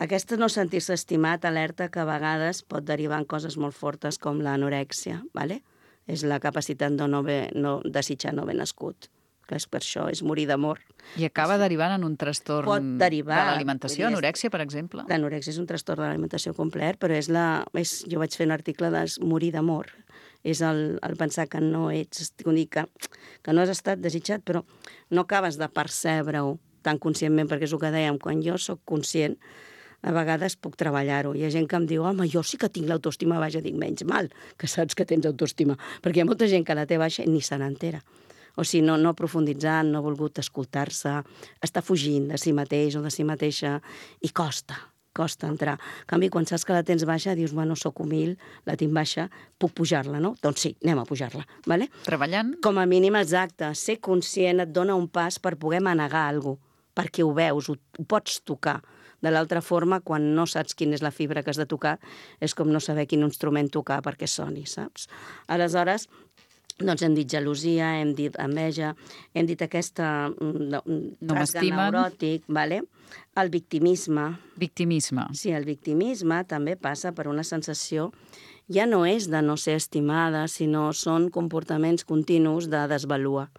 Aquesta no sentir-se estimat alerta que a vegades pot derivar en coses molt fortes com l'anorèxia, ¿vale? És la capacitat de no desitjar no haver nascut. Que és per això, és morir d'amor. I acaba derivant en un trastorn de l'alimentació, anorèxia, per exemple? L'anorèxia és un trastorn de l'alimentació complet, però jo vaig fer un article de morir d'amor. És el pensar que no ets, que no has estat desitjat, però no acabes de percebre-ho tan conscientment, perquè és el que dèiem, quan jo sóc conscient, a vegades puc treballar-ho. Hi ha gent que em diu, home, jo sí que tinc l'autoestima baixa, dic, menys mal que saps que tens autoestima, perquè hi ha molta gent que la té baixa i ni se n'entera. O sigui, no ha profunditzat, no ha volgut escoltar-se, està fugint de si mateix o de si mateixa i costa entrar. En canvi, quan saps que la tens baixa, dius, bueno, sóc humil, la tinc baixa, puc pujar-la, no? Doncs sí, anem a pujar-la, ¿vale? Treballant? Com a mínim, exacte. Ser conscient et dona un pas per poder manegar alguna cosa, perquè ho veus, ho pots tocar. De l'altra forma, quan no saps quina és la fibra que has de tocar, és com no saber quin instrument tocar perquè soni, saps? Aleshores, doncs hem dit gelosia, hem dit enveja, hem dit aquesta rasgue neuròtic, vale? El victimisme. Victimisme. Sí, el victimisme també passa per una sensació, ja no és de no ser estimada, sinó són comportaments continus de desvalua.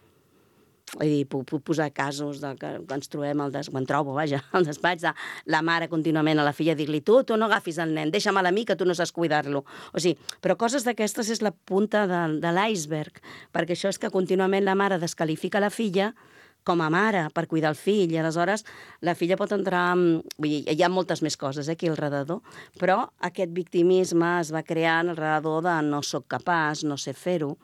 Vull dir, puc posar casos que ens trobem, al despatx de la mare contínuament a la filla, dir-li, tu no agafis el nen, deixa'm-la a mi que tu no saps cuidar-lo. O sigui, però coses d'aquestes és la punta de l'iceberg, perquè això és que contínuament la mare descalifica la filla com a mare per cuidar el fill, i aleshores la filla pot entrar... Vull dir, hi ha moltes més coses aquí al redador, però aquest victimisme es va crear al redador de no soc capaç, no sé fer-ho,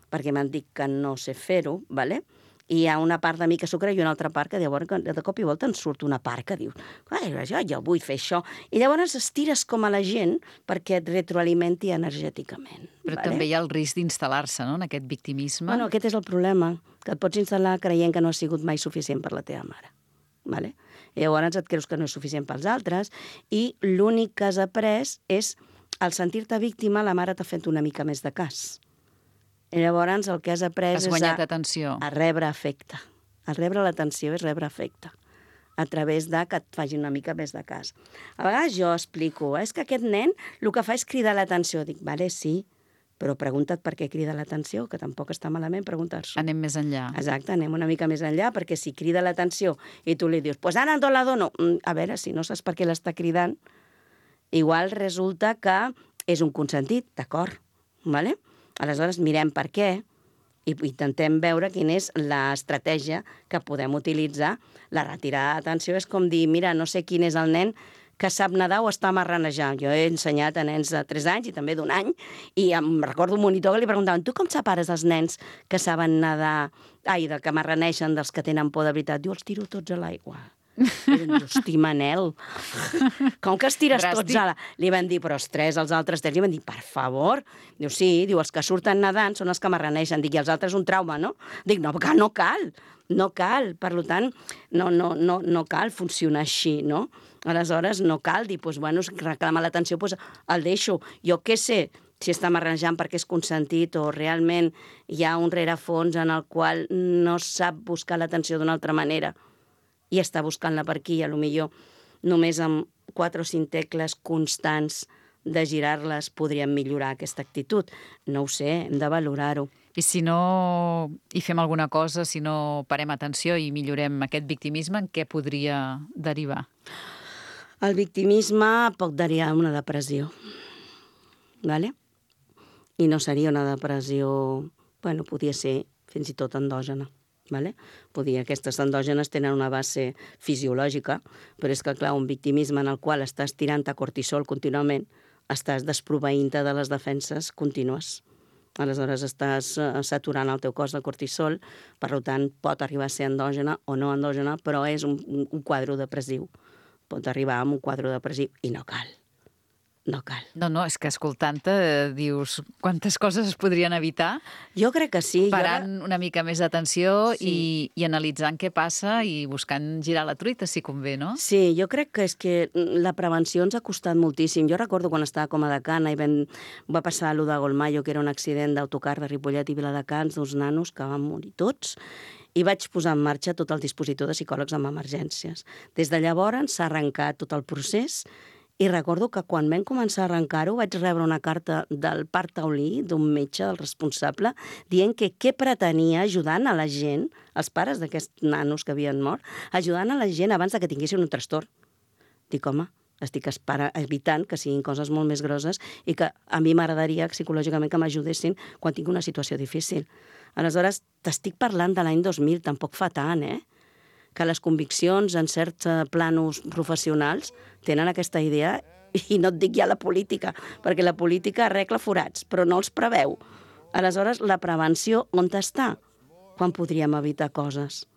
perquè m'han dit que no sé fer-ho, ¿vale? I hi ha una part de mi que s'ho creu i una altra part que llavors de cop i volta en surt una part que diu jo vull fer això. I llavors estires com a la gent perquè et retroalimenti energèticament. Però també hi ha el risc d'instal·lar-se, no?, en aquest victimisme. Bueno, aquest és el problema, que et pots instal·lar creient que no has sigut mai suficient per la teva mare. Vale? I llavors et creus que no és suficient pels altres i l'únic que has après és al sentir-te víctima, la mare t'ha fet una mica més de cas. I llavors el que has après Has guanyat atenció. a rebre afecte. El rebre l'atenció és rebre afecte, a través de que et faci una mica més de cas. A vegades jo explico, és que aquest nen el que fa és cridar l'atenció. Dic, vale, sí, però pregunta't per què crida l'atenció, que tampoc està malament preguntar-s'ho. Anem més enllà. Exacte, anem una mica més enllà, perquè si crida l'atenció i tu li dius, pues ara no la dono. A veure, si no saps per què l'està cridant, igual resulta que és un consentit, d'acord? Vale? Aleshores, mirem per què i intentem veure quina és l'estratègia que podem utilitzar. La retirada d'atenció és com dir, mira, no sé quin és el nen que sap nedar o està marranejant. Jo he ensenyat a nens de 3 anys i també d'1 any, i em recordo un monitor que li preguntaven, tu com separes els nens que saben nedar, que marraneixen dels que tenen por de veritat? Diu, els tiro tots a l'aigua. Diu, hosti, Manel, com que els tires tots a la... Li van dir, però els 3, els altres 3, li van dir, per favor. Diu, sí, diu, els que surten nedant són els que marraneixen. Dic, i els altres un trauma, no? Dic, no, que no cal. No cal, per tant, no cal funcionar així, no? Aleshores, no cal dir, doncs, bueno, reclama l'atenció, doncs el deixo. Jo què sé si està marranejant perquè és consentit o realment hi ha un rerefons en el qual no sap buscar l'atenció d'una altra manera i està buscant-la per aquí, i potser només amb 4 o 5 tecles constants de girar-les podríem millorar aquesta actitud. No ho sé, hem de valorar-ho. I si no hi fem alguna cosa, si no parem atenció i millorem aquest victimisme, en què podria derivar? El victimisme pot derivar en una depressió, ¿vale? I no seria una depressió, bueno, podia ser fins i tot endògena, ¿vale? Aquestes endògenes tenen una base fisiològica, però és que, clar, un victimisme en el qual estàs tirant-te cortisol contínuament, estàs desproveint-te de les defenses contínues. Aleshores estàs saturant el teu cos de cortisol, per tant pot arribar a ser endògena o no endògena, però és un quadre depressiu. Pot arribar a un quadre depressiu i no cal. No cal. No, és que escoltant-te dius quantes coses es podrien evitar. Jo crec que sí. Parant una mica més d'atenció i analitzant què passa i buscant girar la truita, si convé, no? Sí, jo crec que és que la prevenció ens ha costat moltíssim. Jo recordo quan estava com a decana i va passar allò de Golmayo, que era un accident d'autocar de Ripollet i Viladecans, 2 nanos que van morir tots, i vaig posar en marxa tot el dispositiu de psicòlegs amb emergències. Des de llavors s'ha arrencat tot el procés. I recordo que quan vam començar a arrencar-ho vaig rebre una carta del Parc Taulí, d'un metge, del responsable, dient que què pretenia ajudant a la gent, els pares d'aquests nanos que havien mort, ajudant a la gent abans que tinguessin un trastorn. Dic, home, estic evitant que siguin coses molt més grosses i que a mi m'agradaria psicològicament que m'ajudessin quan tinc una situació difícil. Aleshores, t'estic parlant de l'any 2000, tampoc fa tant, que les conviccions en certs planos professionals tenen aquesta idea, i no et dic ja la política, perquè la política arregla forats, però no els preveu. Aleshores, la prevenció on està? Quan podríem evitar coses?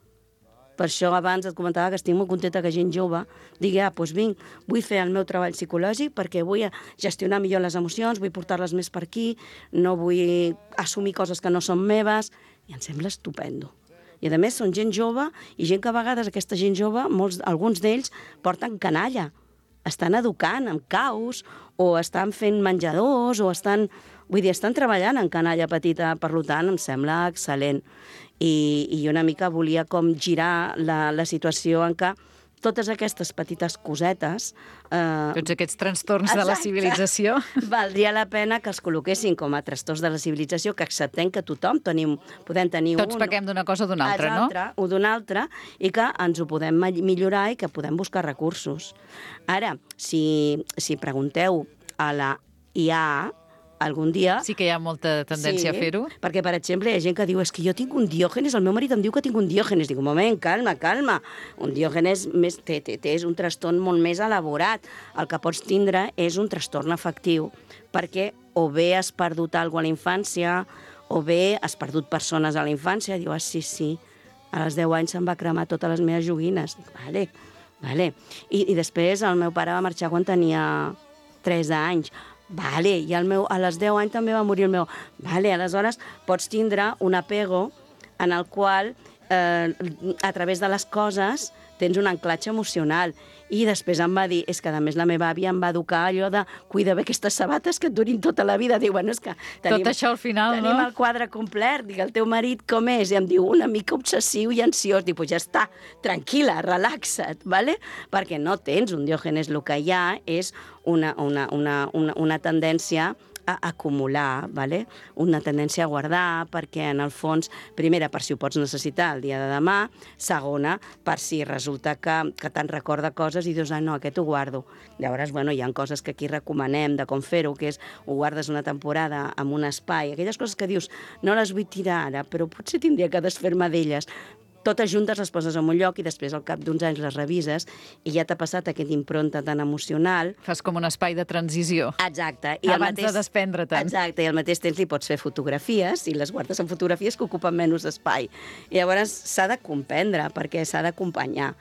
Per això abans et comentava que estic molt contenta que gent jove digui, doncs vinc, vull fer el meu treball psicològic perquè vull gestionar millor les emocions, vull portar-les més per aquí, no vull assumir coses que no són meves, i em sembla estupendo. I a més són gent jove i gent que a vegades aquesta gent jove, alguns d'ells porten canalla, estan educant amb caus o estan fent menjadors o estan treballant en canalla petita, per tant em sembla excel·lent. I una mica volia com girar la situació en què totes aquestes petites cosetes... Tots aquests trastorns de la civilització. Valdria la pena que els col·loquessin com a trastorns de la civilització, que acceptem que tothom podem tenir Tots pequem d'una cosa o d'una altra, no? O d'una altra, i que ens ho podem millorar i que podem buscar recursos. Ara, si pregunteu a la IA, algun dia... Sí que hi ha molta tendència a fer-ho. Perquè, per exemple, hi ha gent que diu és que jo tinc un diògenes, el meu marit em diu que tinc un diògenes. Dic, un moment, calma. Un diògenes és un trastorn molt més elaborat. El que pots tindre és un trastorn afectiu, perquè o bé has perdut alguna cosa a la infància, o bé has perdut persones a la infància. Diu, sí, a les 10 anys se'm va cremar totes les meves joguines. Dic, vale. I després el meu pare va marxar quan tenia 3 anys. I a les 10 anys també va morir el meu. Aleshores pots tindre un apego en el qual, a través de les coses, tens un anclatge emocional. I després em va dir, és que a més la meva àvia em va educar allò de cuida bé aquestes sabates que et durin tota la vida. Diu, bueno, és que tot això al final, tenim el quadre complet. Dic, el teu marit com és? I em diu, una mica obsessiu i ansiós. Dic, pues ja està, tranquil·la, relaxa't, ¿vale? Perquè no tens un Diògenes, el que hi ha és una tendència a acumular, ¿vale? Una tendència a guardar, perquè en el fons, primera, per si ho pots necessitar el dia de demà, segona, per si resulta que te'n recorda coses i dius, no, aquest ho guardo. Llavors, bueno, hi ha coses que aquí recomanem de com fer-ho, que és ho guardes una temporada en un espai, aquelles coses que dius, no les vull tirar ara, però potser tindria que desfer-me d'elles. Totes juntes les poses en un lloc i després al cap d'uns anys les revises i ja t'ha passat aquest impronta tan emocional. Fas com un espai de transició. Exacte. Abans de desprendre-te'n. Exacte, i al mateix temps li pots fer fotografies i les guardes en fotografies que ocupen menys espai. I llavors s'ha de comprendre perquè s'ha d'acompanyar.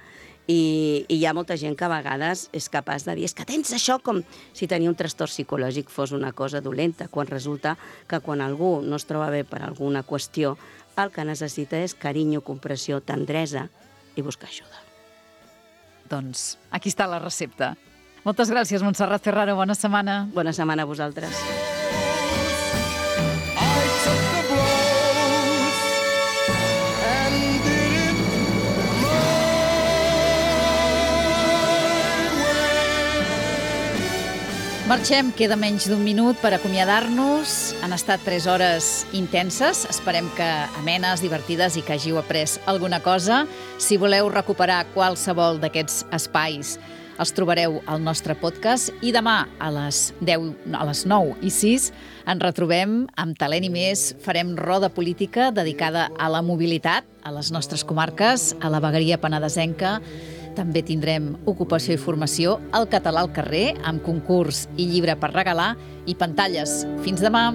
I hi ha molta gent que a vegades és capaç de dir és que tens això com si tenir un trastorn psicològic fos una cosa dolenta, quan resulta que quan algú no es troba bé per alguna qüestió, el que necessita és carinyo, compressió, tendresa i buscar ajuda. Doncs aquí està la recepta. Moltes gràcies, Montserrat Ferraro. Bona setmana. Bona setmana a vosaltres. Marxem, queda menys d'un minut per acomiadar-nos. Han estat 3 hores intenses. Esperem que amenes, divertides i que hàgiu après alguna cosa. Si voleu recuperar qualsevol d'aquests espais, els trobareu al nostre podcast i demà a les 9:06 ens retrobem amb Talent i més. Farem roda política dedicada a la mobilitat a les nostres comarques, a la vegueria penedesenca. També tindrem ocupació i formació, el català al carrer, amb concurs i llibre per regalar i pantalles. Fins demà!